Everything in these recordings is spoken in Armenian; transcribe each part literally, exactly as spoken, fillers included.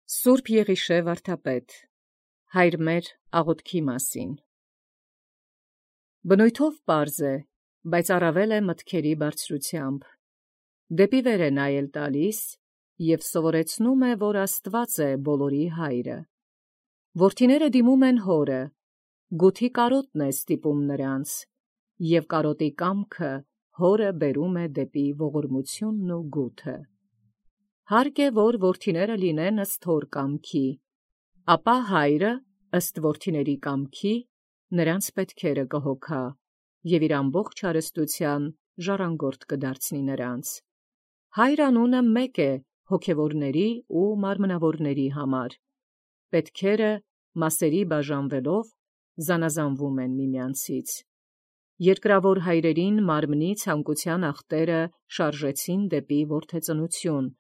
Սուրբ Եղիշե վարդապետ, հայր մեր աղոթքի մասին։ Բնույթով պարզ է, բայց առավել է մտքերի բարձրությամբ։ Դեպի վեր է նայել տալիս և սովորեցնում է, որ Աստված է բոլորի հայրը։ Որդիները դիմում են հորը, գութի կարոտն է ստիպում նրանց, և կարոտի կամքը հորը բերում է դեպի ողորմությունն ու գութը։ Հարկ է, որ որդիները լինեն ըստ հոր կամքի, ապա հայրը ըստ որդիների կամքի նրանց պետքերը կհոգա և իր ամբողջ հարստության ժառանգորդ կդարձնի նրանց։ Հայր անունը մեկ է հոգևորների ու մարմնավորների համար, պետքերը մասերի բաժանվելով զանազանվում են միմյանցից։ Երկրավոր հայրերին մարմնի ցանկության ախտերը շարժեցին դեպի որդեծնություն,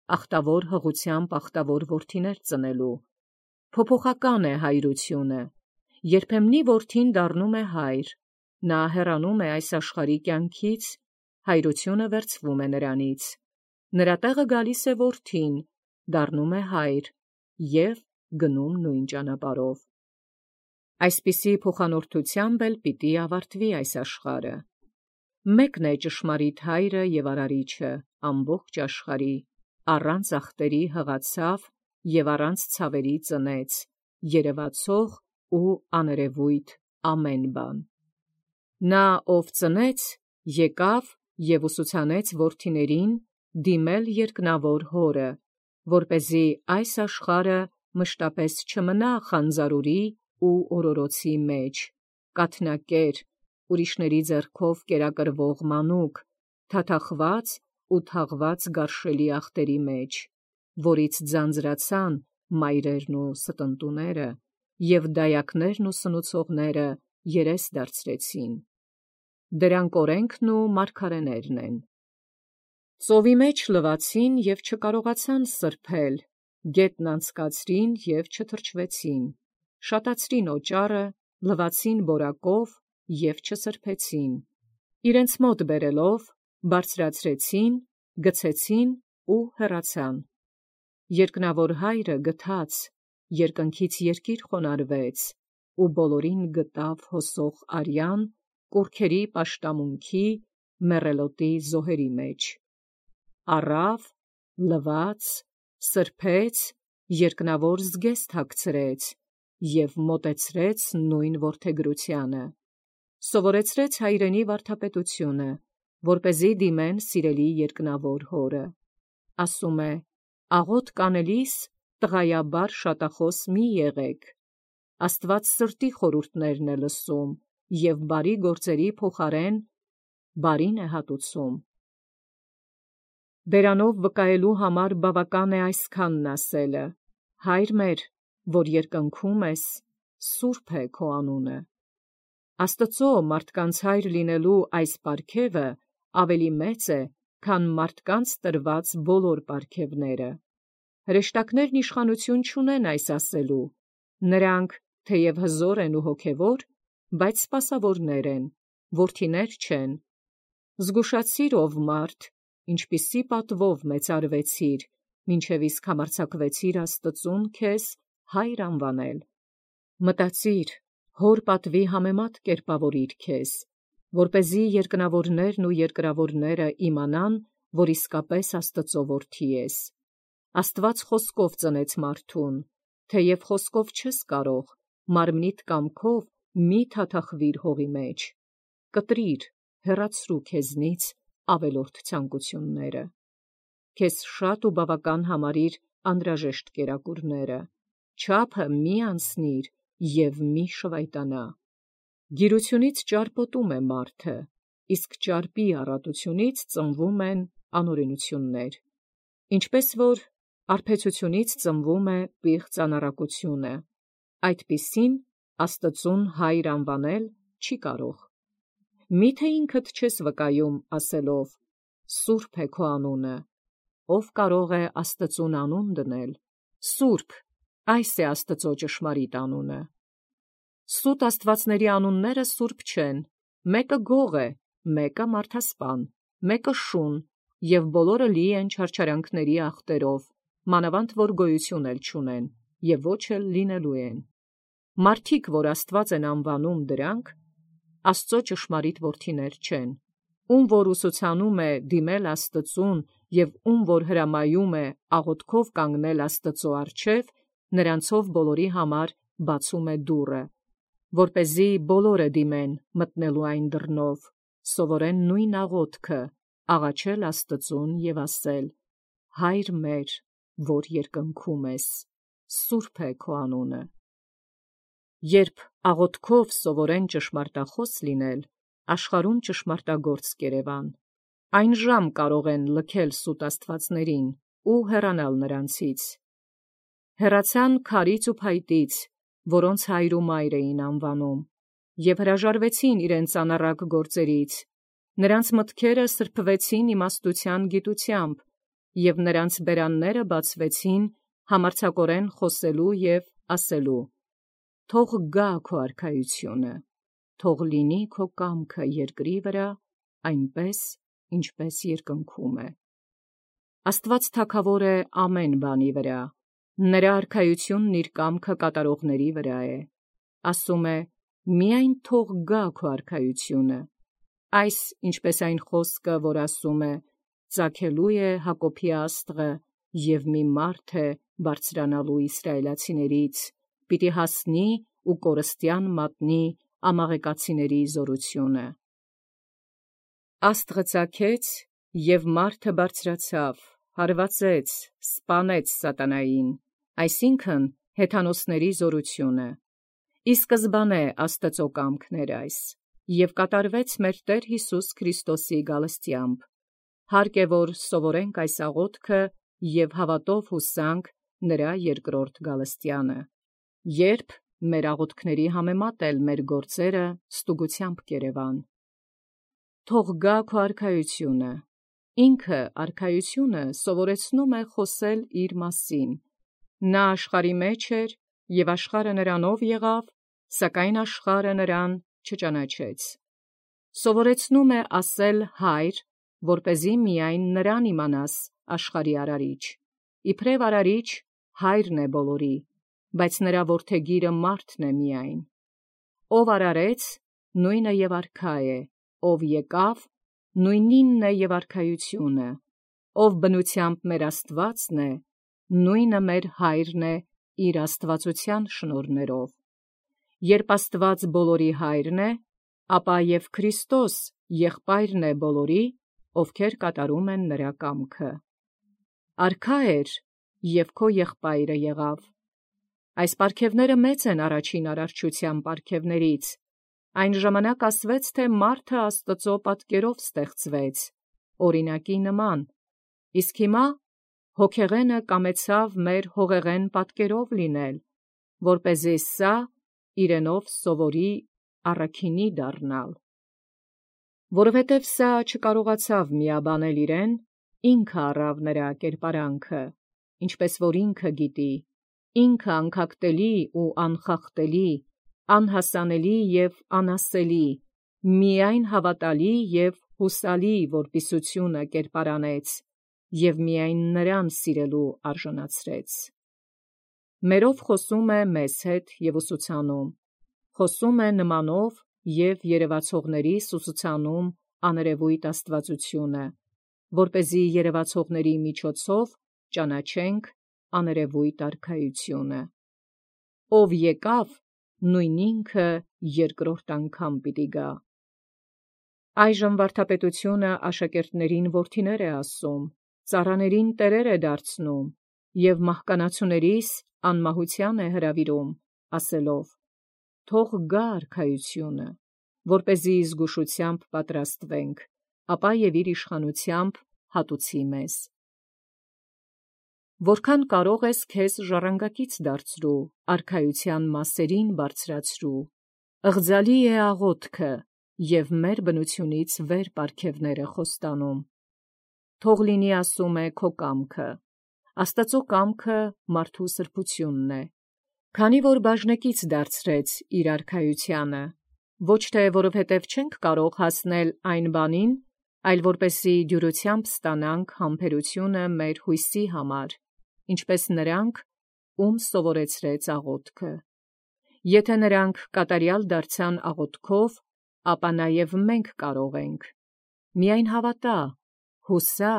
ախտավոր հղությամբ ախտավոր որդիներ ծնելու։ Փոփոխական է հայրությունը, երբեմնի որդին դառնում է հայր, նա հեռանում է այս աշխարհի կյանքից, հայրությունը վերցվում է նրանից, նրա տեղը գալիս է որդին, դառնում է հայր և գնում նույն ճանապարհով։ Այսպիսի փոխանորդությամբ էլ պիտի ավարտվի այս աշխարհը։ Մեկն է ճշմարիտ հայրը և արարիչը ամբողջ աշխարհի, առանց ախտերի հղացավ և առանց ցավերի ծնեց, երևացող ու աներևույթ ամեն բան։ Նա, ով ծնեց, եկավ և ուսուցանեց որդիներին դիմել երկնավոր հորը, որպեսզի այս աշխարհը մշտապես չմնա խանձարուրի ու օրորոցի մեջ, կաթնակեր, ուրիշների ձեռքով կերակրվող մանուկ, թաթախված ու թաղված գարշելի ախտերի մեջ, որից ձանձրացան մայրերն ու ստընտուները, և դայակներն ու սնուցողները երես դարձրեցին։ Դրանք օրենքն ու մարգարեներն են։ Ծովի մեջ լվացին և չկարողացան սրբել, գետն անցկացրին և չթրջվեցին, շատացրին օճառը, լվացին բորակով և չսրբեցին, իրենց մոտ բերելով, բարձրացրեցին, գցեցին ու հեռացան։ Երկնավոր հայրը գթաց, երկնքից երկիր խոնարհվեց, ու բոլորին գտավ հոսող արյան, կուռքերի պաշտամունքի, մեռելոտի զոհերի մեջ։ Առավ, լվաց, սրբեց, երկնավոր զգեստ հագցրեց և մոտեցրեց նույն որդեգրությանը։ Սովորեցրեց հայրենի վարդապետությունը, որպեսզի դիմեն սիրելի երկնավոր հորը։ Ասում է. «Աղոթք անելիս տղայաբար շատախոս մի եղեք։ Աստված սրտի խորհուրդներն է լսում և բարի գործերի փոխարեն բարին է հատուցում»։ Բերանով վկայելու համար բավական է այսքանն ասելը. «Հայր մեր, որ երկնքում ես, սուրբ է քո անունը»։ Աստծո մարդկանց հայր լինելու այս պարգևը ավելի մեծ է, քան մարդկանց տրված բոլոր պարգևները։ Հրեշտակներն իշխանություն չունեն այս ասելու, նրանք թեև հզոր են ու հոգևոր, բայց սպասավորներ են, որդիներ չեն։ Զգուշացիր, ով մարդ, ինչպիսի պատվով մեծարվեցիր, մինչև իսկ համարձակվեցիր Աստծուն քեզ հայր անվանել։ Մտածիր, հոր պատվի համեմատ կերպավորիր քեզ, որպեսզի երկնավորներն ու երկրավորները իմանան, որ իսկապես Աստծո որդի ես։ Աստված խոսքով ծնեց մարդուն, թեև խոսքով չես կարող, մարմնիդ կամքով մի թաթախվիր հողի մեջ։ Կտրիր, հեռացրու քեզնից ավելորդ ցանկությունները։ Քեզ շատ ու բավական համարիր անհրաժեշտ կերակուրները, չափը մի անցնիր և մի շվայտանա։ Գիրությունից ճարպոտում է մարդը, իսկ ճարպի առատությունից ծնվում են անօրենություններ, ինչպես որ արբեցությունից ծնվում է պիղծ անառակությունը, այդպիսին Աստծուն հայր անվանել չի կարող։ Մի՞թե ինքդ չես վկայում ասելով. «Սուրբ է քո անունը», ով կարող է Աստծուն անուն դնել։ Սուրբ, այս է Աստծո ճշմարիտ անունը։ Սուտ աստվածների անունները սուրբ չեն, մեկը գող է, մեկը մարդասպան, մեկը շուն, և բոլորը լի են չարչարանքների ախտերով, մանավանդ որ գոյություն էլ չունեն, եւ ոչ էլ լինելու են։ Մարդիկ, որ Աստված են անվանում դրանք, Աստծո ճշմարիտ որդիներ չեն, ում որ ուսուցանում է դիմել Աստծուն եւ ում որ հրամայում է աղոթքով կանգնել Աստծո առջև, նրանցով բոլորի համար բացում է դուռը, որպեսզի բոլորը դիմեն մտնելու այն դռնով, սովորեն նույն աղոթքը, աղաչել Աստծուն եւ ասել. Հայր մեր, որ երկնքում ես, սուրբ է քո անունը։ Երբ աղոթքով սովորեն ճշմարտախոս լինել, աշխարհում ճշմարտագործ կերևան, այն ժամ կարող են լքել սուտ աստվածներին ու հեռանալ նրանցից։ Հեռացան քարից ու փայտից, որոնց հայր ու մայր էին անվանում, եւ հրաժարվեցին իրենց անառակ գործերից, նրանց մտքերը սրբվեցին իմաստության գիտությամբ, եւ նրանց բերանները բացվեցին համարձակորեն խոսելու եւ ասելու. Թող գա քո արքայությունը, թող լինի քո կամքը երկրի վրա, այնպես, ինչպես երկնքում է։ Աստված թագավոր է ամեն բանի վրա, նրա արքայությունն իր կամքը կատարողների վրա է։ Ասում է. միայն թող գա քո արքայությունը, այս ինչպես այն խոսքը, որ ասում է. ծագելու է Հակոբի աստղը, եւ մի մարդ է բարձրանալու իսրայելացիներից, պիտի հասնի ու կորստյան մատնի ամաղեկացիների զորությունը։ Աստղը ծագեց, եւ մարդը բարձրացավ, հարվածեց, սպանեց սատանային, այսինքն հեթանոսների զորությունը։ Ի սկզբանե Աստծո կամքն էր այս, եւ կատարվեց մեր Տեր Հիսուս Քրիստոսի գալստյամբ։ Հարկ է, որ սովորենք այս աղոթքը եւ հավատով հուսանք նրա երկրորդ գալստյանը, երբ մեր աղոթքների համեմատ էլ մեր գործերը ստուգությամբ կերևան։ Թող գա քո արքայությունը։ Ինքը արքայությունը սովորեցնում է խոսել իր մասին։ Նա աշխարհի մեջ էր, եւ աշխարհը նրանով եղավ, սակայն աշխարհը նրան չճանաչեց։ Սովորեցնում է ասել հայր, որպեսզի միայն նրան իմանաս աշխարհի արարիչ։ Իբրև արարիչ հայրն է բոլորի, բայց նրա որդեգիրը մարդն է միայն։ Ով արարեց, նույնը եւ արքա է, ով եկավ, նույնինն է եւ արքայությունը, ով բնությամբ մեր Աստվածն է, նույնը մեր հայրն է իր աստվածության շնորհներով։ Երբ Աստված բոլորի հայրն է, ապա եւ Քրիստոս եղբայրն է բոլորի, ովքեր կատարում են նրա կամքը։ Արքա էր, եւ քո եղբայրը եղավ։ Այս պարգևները մեծ են առաջին արարչության պարգևներից։ Այն ժամանակ ասվեց, թե մարդը Աստծո պատկերով ստեղծվեց, օրինակի նման, իսկ հիմա հոգեղենը կամեցավ մեր հողեղեն պատկերով լինել, որպեսզի սա իրենով սովորի առաքինի դառնալ։ Որովհետև սա չկարողացավ միաբանել իրեն, ինքը առավ նրա կերպարանքը, ինչպես որ ինքը գիտի, ինքը անկագտելի ու անխախտելի, անհասանելի եւ անասելի, միայն հավատալի եւ հուսալի որպիսությունը կերպարանեց եւ միայն նրան սիրելու արժանացրեց։ Մերով խոսում է մեզ հետ եւ ուսուցանում, խոսում է նմանով եւ երևացողների ուսուցանում աներևույթ աստվածությունը, որպեսզի երևացողների միջոցով ճանաչենք աներևույթ արքայությունը։ Ով եկավ, նույն ինքը երկրորդ անգամ պիտի գա։ Այժմ վարդապետությունը աշակերտներին որդիներ է ասում, ծառաներին տերեր է դարձնում եւ մահկանացուներիս անմահության է հրավիրում, ասելով. թող գա արքայությունը, որպեսզի զգուշությամբ պատրաստվենք, ապա եւ իր իշխանությամբ հատուցի մեզ։ Որքան կարող ես քեզ ժառանգակից դարձրու, արքայության մասերին բարձրացրու, ըղձալի է աղոթքը եւ մեր բնությունից վեր պարգևները խոստանում։ Թող լինի, ասում է, քո կամքը, Աստծո կամքը մարդու սրբությունն է, քանի որ բաժնեկից դարձրեց իր արքայությանը, ոչ թե որովհետև չենք կարող հասնել այն բանին, այլ որպեսզի դյուրությամբ ստանանք համբերությունը մեր հույսի համար, ինչպես նրանք, ում սովորեցրեց աղոթքը։ Եթե նրանք կատարյալ դարձան աղոթքով, ապա նաև մենք կարող ենք։ Միայն հավատա, հուսա,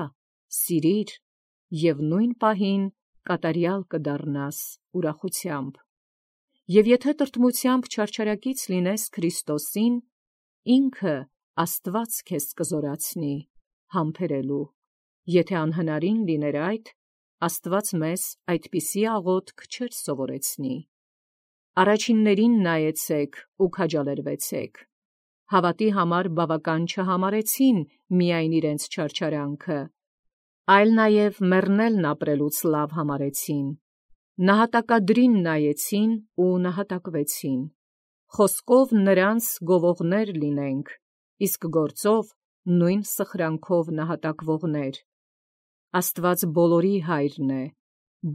սիրիր, և նույն պահին կատարյալ կդառնաս ուրախությամբ։ Եվ եթե տրտմությամբ չարչարակից լինես Քրիստոսին, ինքը Աստված քեզ կզորացնի համբերելու։ Եթե անհնարին լիներ այդ, Աստված մեզ այդպիսի աղոթք չէր սովորեցնի։ Առաջիններին նայեցեք ու քաջալերվեցեք։ Հավատի համար բավական չհամարեցին միայն իրենց չարչարանքը, այլ նաև մեռնելն ապրելուց լավ համարեցին։ Նահատակադրին նայեցին ու նահատակվեցին։ Խոսքով նրանց գովողներ լինենք, իսկ գործով նույն սխրանքով նահատակվողներ։ Աստված բոլորի հայրն է,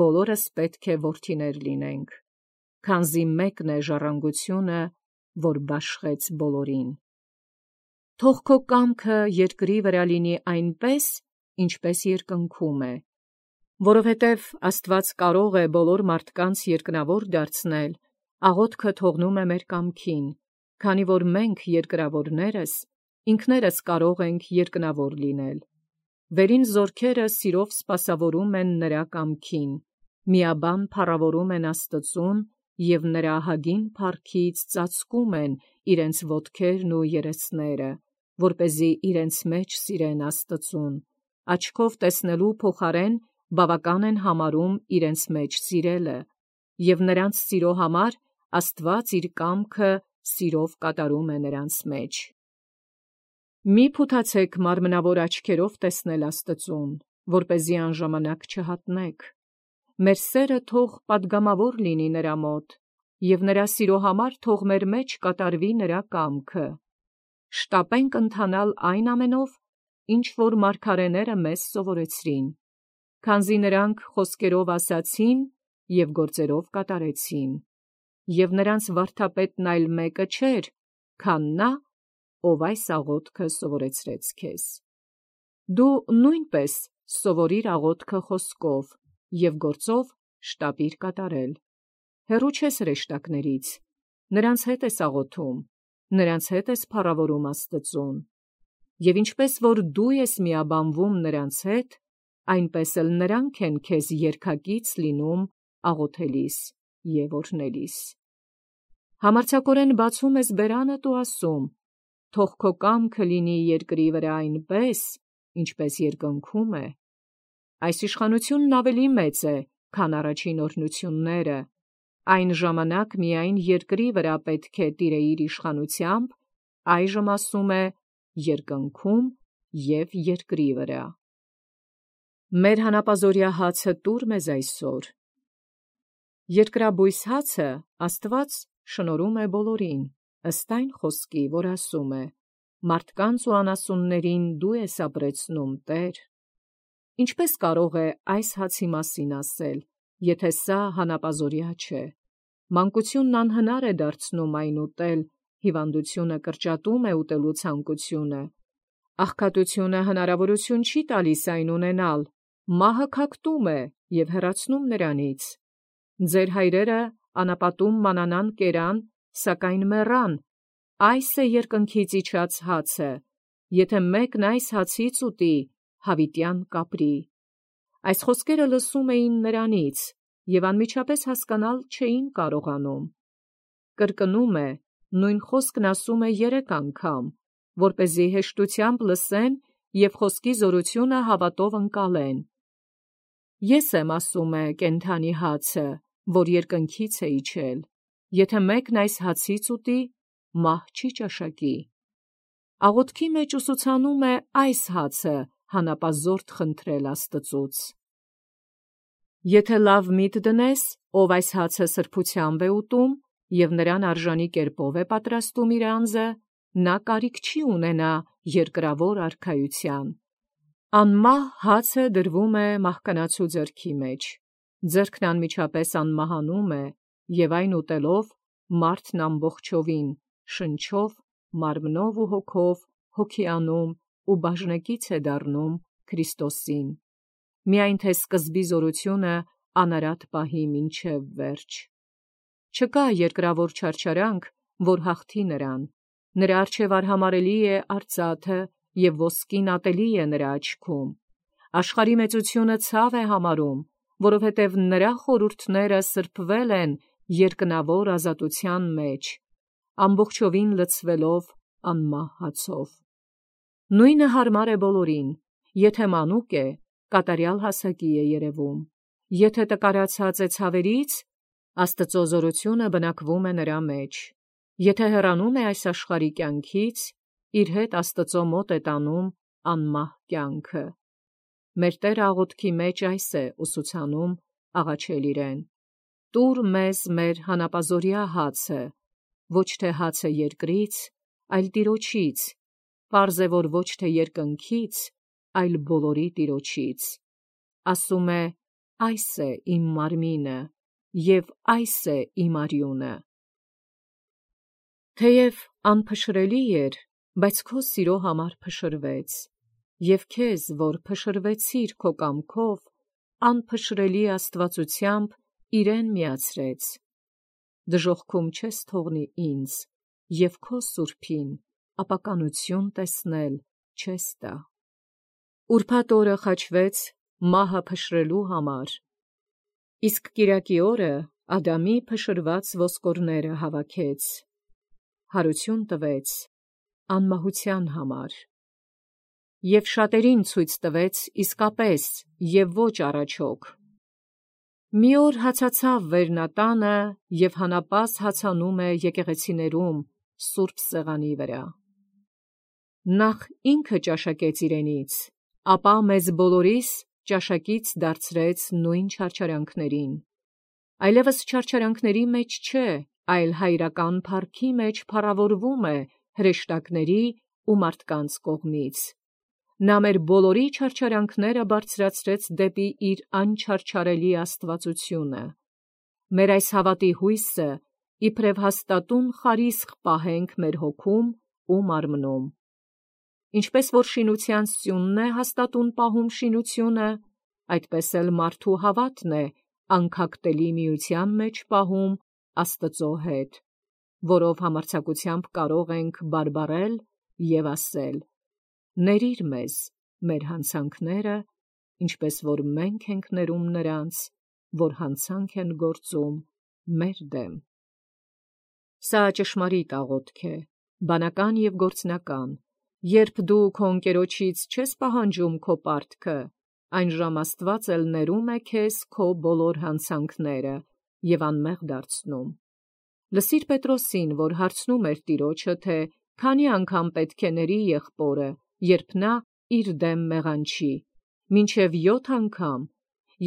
բոլորս պետք է որդիներ լինենք, քանզի մեկն է ժառանգությունը, որ բաշխեց բոլորին։ Թող քո կամքը երկրի վրա լինի այնպես, ինչպես երկնքում է, որովհետև Աստված կարող է բոլոր մարդկանց երկնավոր դարձնել, աղոթքը թողնում է մեր կամքին, քանի որ մենք երկրավորներս ինքներս կարող ենք երկնավոր լինել։ Վերին զորքերը սիրով սպասավորում են նրա կամքին, միաբան փառավորում են Աստծուն և նրա ահագին փառքից ծածկում են իրենց ոտքերն ու երեսները, որպեսզի իրենց մեջ սիրեն Աստծուն, աչքով տեսնելու փոխարեն բավական են համարում իրենց մեջ սիրելը, և նրանց սիրո համար Աստված իր կամքը սիրով կատարում է նրանց մեջ։ Մի փութացեք մարմնավոր աչքերով տեսնել Աստծուն, որպեսզի անժամանակ չհատնեք։ Մեր սերը թող պատգամավոր լինի նրա մոտ, և նրա սիրո համար թող մեր մեջ կատարվի նրա կամքը։ Շտապենք ընթանալ այն ամենով, ինչ որ մարգարեները մեզ սովորեցրին, քանզի նրանք խոսքերով ասացին և գործերով կատարեցին, և նրանց վարդապետն այլ մեկը չէր, քան նա, ով այս աղոթքը սովորեցրեց քեզ։ Դու նույնպես սովորիր աղոթքը խոսքով և գործով շտապիր կատարել։ Հեռու չես հրեշտակներից, նրանց հետ ես աղոթում, նրանց հետ ես փառավորում Աստծուն, և ինչպես որ դու ես միաբանվում նրանց հետ, այնպես էլ նրանք են քեզ երգակից լինում աղոթելիս և օրհնելիս։ Համարձակորեն բացում ես բերանդ ու ասում. «Թող քո կամքը լինի երկրի վրա այնպես, ինչպես երկնքում է»։ Այս իշխանությունն ավելի մեծ է, քան առաջին օրհնությունները, այն ժամանակ միայն երկրի վրա պետք է տիրեիր իշխանությամբ, այժմ ասում է երկնքում և երկրի վրա։ Մեր հանապազօրյա հացը տուր մեզ այսօր։ Երկրաբույս հացը Աստված շնորհում է բոլորին, ըստ այն խոսքի, որ ասում է. «Մարդկանց ու անասուններին դու ես ապրեցնում, Տեր»։ Ինչպես կարող է այս հացի մասին ասել, եթե սա հանապազօրյա չէ։ Մանկությունն անհնար է դարձնում այն ուտել, հիվանդությունը կրճատում է ուտելու ցանկությունը, աղքատությունը հնարավորություն չի տալիս այն ունենալ, մահը քակտում է և հեռացնում նրանից։ Ձեր հայրերը անապատում մանանան կերան, սակայն մեռան։ Այս է երկնքից իջած հացը, եթե մեկն այս հացից ուտի, հավիտյան կապրի։ Այս խոսքերը լսում էին նրանից և անմիջապես հասկանալ չէին կարողանում։ Կրկնում է, նույն խոսքն ասում է երեք անգամ, որպեսզի հեշտությամբ լսեն և խոսքի զորությունը հավատով ընկալեն։ Ես եմ, ասում է, կենդանի հացը, որ երկնքից է իջել. եթե մեկն այս հացից ուտի, մահ չի ճաշակի։ Աղոթքի մեջ ուսուցանում է այս հացը հանապազորդ խնդրել Աստծուց։ Եթե լավ միտ դնես, ով այս հացը սրբությամբ է ուտում և նրան արժանի կերպով է պատրաստում իր անձը, նա կարիք չի ունենա երկրավոր արքայության։ Անմահ հացը դրվում է մահկանացու ձեռքի մեջ, ձեռքն անմիջապես անմահանում է, և այն ուտելով մարդն ամբողջովին, շնչով, մարմնով ու հոգով հոգիանում ու բաժնեկից է դառնում Քրիստոսին։ Միայն թե սկզբի զորությունը անարատ պահի մինչև վերջ։ Չկա երկրավոր չարչարանք, որ հաղթի նրան, նրա առջև արհամարելի է արծաթը և ոսկին ատելի է նրա աչքում։ Աշխարհի մեծությունը ցավ է համարում, որովհետև նրա խորհուրդները սրբվել են երկնավոր ազատության մեջ, ամբողջովին լցվելով անմահ հացով։ Նույնը հարմար է բոլորին, եթե մանուկ է, կատարյալ հասակի է երևում, եթե տկարացած է ցավերից, Աստծո զորությունը բնակվում է նրա մեջ, եթե հեռանում է այս աշխարհի կյանքից, իր հետ Աստծո մոտ է տանում անմահ կյանքը։ Մեր Տերը աղոթքի մեջ այս է ուսուցանում աղաչել իրեն. «Տուր մեզ մեր հանապազօրյա հացը, ոչ թե հացը երկրից, այլ Տիրոջից, պարզ է, որ ոչ թե երկնքից, այլ բոլորի Տիրոջից»։ Ասում է. «Այս է իմ մարմինը, և այս է իմ արյունը»։ Թեև անփշրելի էր, բայց քո սիրո համար փշրվեց, և քեզ, որ փշրվեցիր քո կամքով, անփշրելի աստվածությամբ իրեն միացրեց։ Դժոխքում չես թողնի ինձ, և քո սուրբին ապականություն տեսնել չես տա։ Ուրբաթ օրը խաչվեց մահը փշրելու համար, իսկ կիրակի օրը Ադամի փշրված ոսկորները հավաքեց, հարություն տվեց անմահության համար, և շատերին ցույց տվեց իսկապես և ոչ առաջոք։ Մի օր հացացավ վերնատանը և հանապազը հացանում է եկեղեցիներում սուրբ սեղանի վրա։ Նախ ինքը ճաշակեց իրենից, ապա մեզ բոլորիս ճաշակից դարձրեց նույն չարչարանքներին։ Այլևս չարչարանքների մեջ չէ, այլ հայրական փառքի մեջ փառավորվում է հրեշտակների ու մարդկանց կողմից։ Նա մեր բոլորի չարչարանքները բարձրացրեց դեպի իր անչարչարելի աստվածությունը։ Մեր այս հավատի հույսը իբրև հաստատուն խարիսխ պահենք մեր հոգում ու մարմնում։ Ինչպես որ շինության սյունն է հաստատուն պահում շինությունը, այդպես էլ մարդու հավատն է անքակտելի միության մեջ պահում Աստծո հետ, որով համարձակությամբ կարող ենք բարբառել և ասել. «Ների՛ր մեզ մեր հանցանքները, ինչպես որ մենք ենք ներում նրանց, որ հանցանք են գործում մեր դեմ»։ Սա ճշմարիտ աղոթք է, բանական և գործնական։ Երբ դու քո ընկերոջից չես պահանջում քո պարտքը, այն ժամ Աստված էլ ներում է քեզ քո բոլոր հանցանքները և անմեղ դարձնում։ Լսիր Պետրոսին, որ հարցնում էր Տիրոջը, թե քանի անգամ պետք է ների եղբորը, երբ նա իր դեմ մեղանչի, մինչև յոթ անգամ,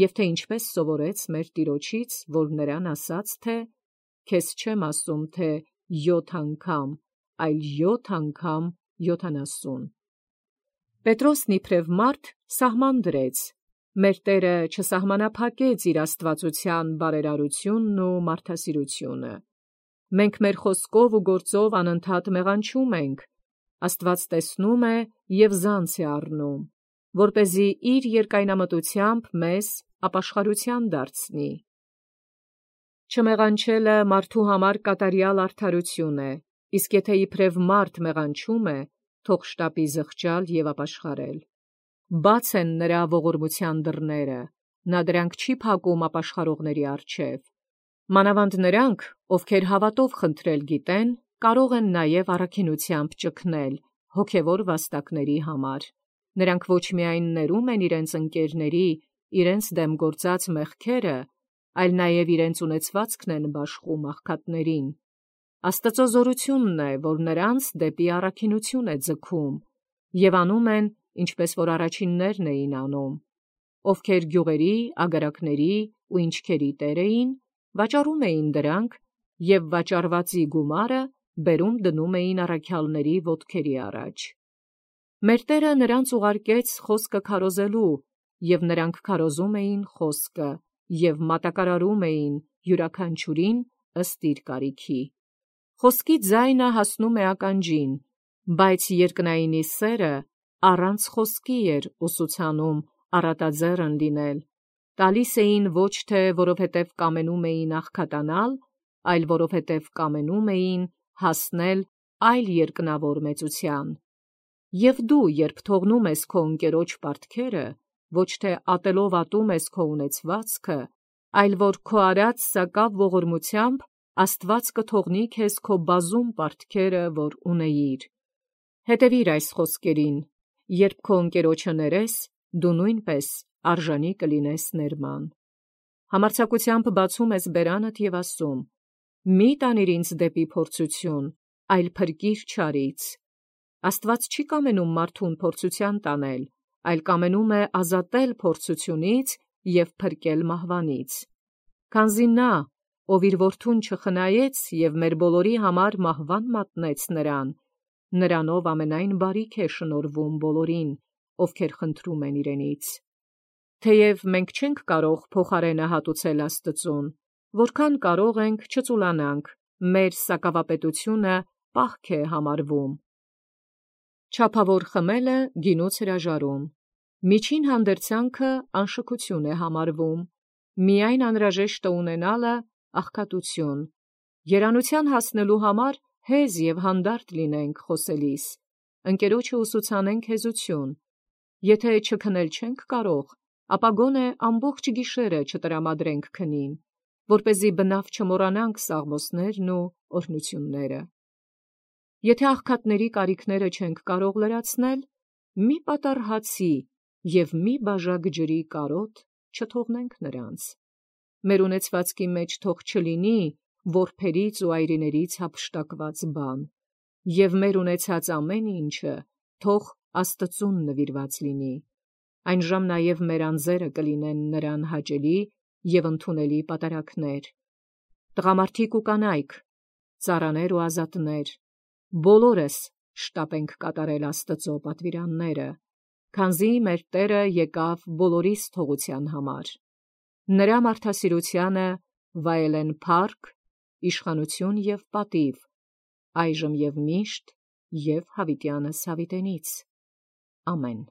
և թե ինչպես սովորեց մեր Տիրոջից, որ նրան ասաց, թե «Քեզ չեմ ասում, թե յոթ անգամ, այլ յոթ անգամ յոթանասուն»։ Պետրոսն իբրև մարդ սահման դրեց, մեր Տերը չսահմանափակեց իր աստվածության բարերարությունն ու մարդասիրությունը։ Մենք մեր խոսքով ու գործով անընդհատ մեղանչում ենք, Աստված տեսնում է և զանց է առնում, որպեսզի իր երկայնամտությամբ մեզ ապաշխարության դարձնի։ Չմեղանչելը մարդու համար կատարյալ արդարություն է, իսկ եթե իբրև մարդ մեղանչում է, թող շտապի զղջալ և ապաշխարել։ Բաց են նրա ողորմության դռները, նա դրանք չի փակում ապաշխարողների առջև։ Մանավանդ նրանք, ովքեր հավատով խնդրել գիտեն, կարող են նաև առաքինությամբ ճգնել հոգևոր վաստակների համար։ Նրանք ոչ միայն ներում են իրենց ընկերների իրենց դեմ գործած մեղքերը, այլ նաև իրենց ունեցվածքն են բաշխում աղքատներին։ Աստծո զորությունն է, որ նրանց դեպի առաքինություն է ձգում, և անում են, ինչպես որ առաջիններն էին անում, ովքեր գյուղերի, ագարակների ու ինչքերի տեր էին, վաճառում էին դրանք և վաճառվածի գումարը բերում դնում էին առաքյալների ոտքերի առաջ։ Մեր Տերը նրանց ուղարկեց խոսքը քարոզելու, և նրանք քարոզում էին խոսքը և մատակարարում էին յուրաքանչյուրին ըստ իր կարիքի։ Խոսքի ձայնը հասնում է ականջին, բայց երկնայինի սերը առանց խոսքի էր ուսուցանում առատաձեռն լինել, տալիս էին ոչ թե որովհետև կամենում էին աղքատանալ, այլ որովհետև կամենում էին հասնել այլ երկնավոր մեծության։ Եվ դու, երբ թողնում ես քո ընկերոջ պարտքերը, ոչ թե ատելով ատում ես քո ունեցվածքը, այլ որ քո արած սակավ ողորմությամբ Աստված կթողնի քեզ քո բազում պարտքերը, որ ունեիր։ Հետևիր այս խոսքերին, երբ քո ընկերոջը ներես, դու նույնպես արժանի կլինես ներման։ Համարձակությամբ բացում ես բերանդ և ասում. մի տանիր ինձ դեպի փորձություն, այլ փրկիր չարից։ Աստված չի կամենում մարդուն փորձության տանել, այլ կամենում է ազատել փորձությունից և փրկել մահվանից։ Քանզի նա, ով իր որդուն չխնայեց և մեր բոլորի համար մահվան մատնեց նրան, նրանով ամենայն բարիք է շնորհվում բոլորին, ովքեր խնդրում են իրենից։ Թեև մենք չենք կարող փոխարենը հատուցել Աստծուն, որքան կարող ենք չծուլանանք, մեր սակավապետությունը պահք է համարվում։ Չափավոր խմելը գինուց հրաժարում, միջին հանդերձանքը անշքություն է համարվում, միայն անհրաժեշտը ունենալը աղքատություն։ Երանության հասնելու համար հեզ և հանդարտ լինենք խոսելիս, ընկերոջը ուսուցանենք հեզություն։ Եթե չքնել չենք կարող, ապա գոնե ամբողջ գիշերը չտրամադրենք քնին, որպեսզի բնավ չմոռանանք սաղմոսներն ու օրհնությունները։ Եթե աղքատների կարիքները չենք կարող լրացնել, մի պատառ հացի և մի բաժակ ջրի կարոտ չթողնենք նրանց։ Մեր ունեցվածքի մեջ թող չլինի որբերից ու այրիներից հափշտակված բան, և մեր ունեցած ամեն ինչը թող Աստծուն նվիրված լինի։ Այնժամ նաև մեր անձերը կլինեն նրան հաճելի և ընդունելի պատարագներ։ Տղամարդիկ ու կանայք, ծառաներ ու ազատներ, բոլորս շտապենք կատարել Աստծո պատվիրանները, քանզի մեր Տերը եկավ բոլորիս թողության համար։ Նրա մարդասիրությանը վայելեն փառք, իշխանություն և պատիվ, այժմ և միշտ և հավիտյանս հավիտենից։ Ամեն։